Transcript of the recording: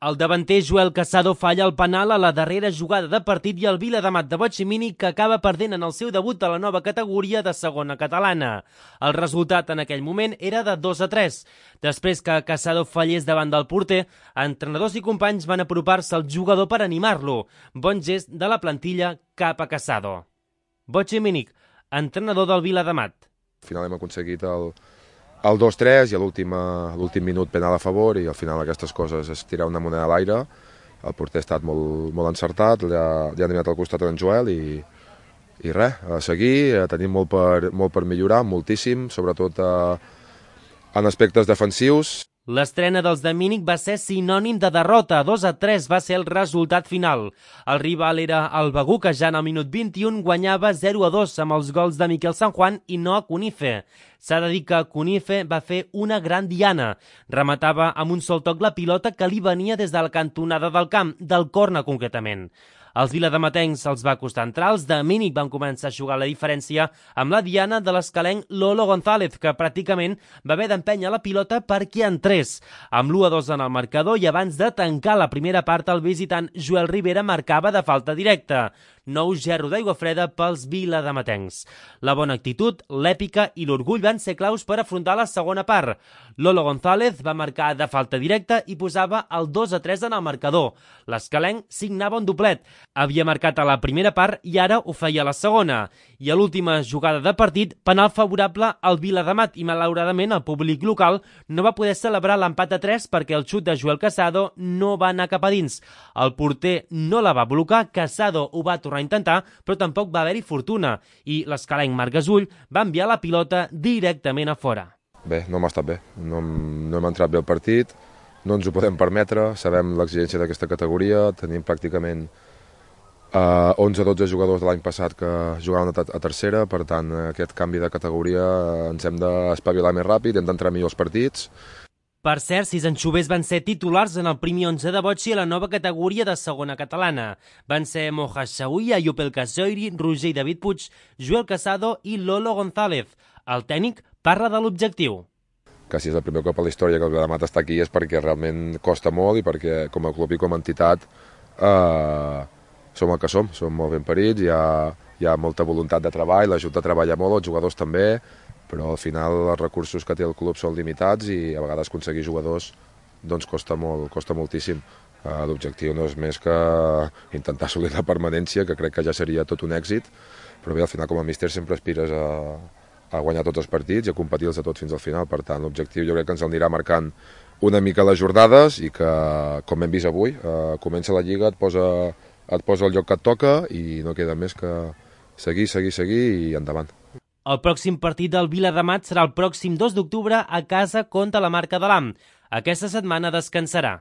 El davanter Joel Casado falla el penal a la darrera jugada de partit i el Viladamat de Boig-i-Mínic que acaba perdent en el seu debut a la nova categoria de segona catalana. El resultat en aquell moment era de 2-3. Després que Casado fallés davant del porter, entrenadors i companys van apropar-se al jugador per animar-lo. Bon gest de la plantilla cap a Casado. Boig-i-Mínic, entrenador del Viladamat. Al final hem aconseguit el 2-3 i a l'últim minut penal a favor i al final aquestes coses és tirar una moneda a l'aire. El porter ha estat molt encertat, li ha donat al costat en Joel i res, a seguir, tenim molt per millorar, moltíssim, sobretot en aspectes defensius. L'estrena dels de Mínic va ser sinònim de derrota, 2-3 va ser el resultat final. El rival era el Begur, que ja en el minut 21 guanyava 0-2 amb els gols de Miquel San Juan i no a Cunife. S'ha de dir que Cunife va fer una gran diana. Rematava amb un sol toc la pilota que li venia des de la cantonada del camp, del córner concretament. Els viladamatencs els va costar entrar, els de Mínic van començar a jugar la diferència amb la diana de l'escalenc Lolo González, que pràcticament va haver d'empènyer la pilota perquè entrés. Amb l'1-2 en el marcador i abans de tancar la primera part, el visitant Joel Rivera marcava de falta directa. Nou gerro d'aigua freda pels viladamatencs. La bona actitud, l'èpica i l'orgull van ser claus per afrontar la segona part. Lolo González va marcar de falta directa i posava el 2-3 en el marcador. L'escalenc signava un doblet. Havia marcat a la primera part i ara ho feia a la segona. I a l'última jugada de partit, penal favorable al Viladamat i malauradament el públic local no va poder celebrar l'empat a 3 perquè el xut de Joel Casado no va anar cap a dins. El porter no la va blocar, Casado ho va tornar a intentar, però tampoc va haver-hi fortuna i l'escalenc Marc Gasull va enviar la pilota directament a fora. Bé, no hem estat bé, no hem entrat bé al partit, no ens ho podem permetre, sabem l'exigència d'aquesta categoria, tenim pràcticament 11-12 jugadors de l'any passat que jugaven a tercera, per tant aquest canvi de categoria ens hem d'espavilar més ràpid, hem d'entrar millor als partits. Per cert, 6 anxovers van ser titulars en el primer 11 de Botxi a la nova categoria de segona catalana. Van ser Moja Xaui, Ayup El Casoiri, Roger i David Puig, Joel Casado i Lolo González. El tècnic parla de l'objectiu. Que si és el primer cop a la història que el Viladamat està aquí és perquè realment costa molt i perquè com a club i com a entitat som el que som molt ben parits, hi ha molta voluntat de treball, l'Ajuntament treballa molt, els jugadors també, però al final els recursos que té el club són limitats i a vegades aconseguir jugadors doncs costa moltíssim. L'objectiu no és més que intentar assolir la permanència, que crec que ja seria tot un èxit, però bé, al final com a míster sempre aspires a guanyar tots els partits i a competir-los a tots fins al final. Per tant, l'objectiu jo crec que ens anirà marcant una mica les jornades i que, com hem vist avui, comença la Lliga, et posa el lloc que et toca i no queda més que seguir i endavant. El pròxim partit del Viladamat serà el pròxim 2 d'octubre a casa contra la Marca de l'Am. Aquesta setmana descansarà.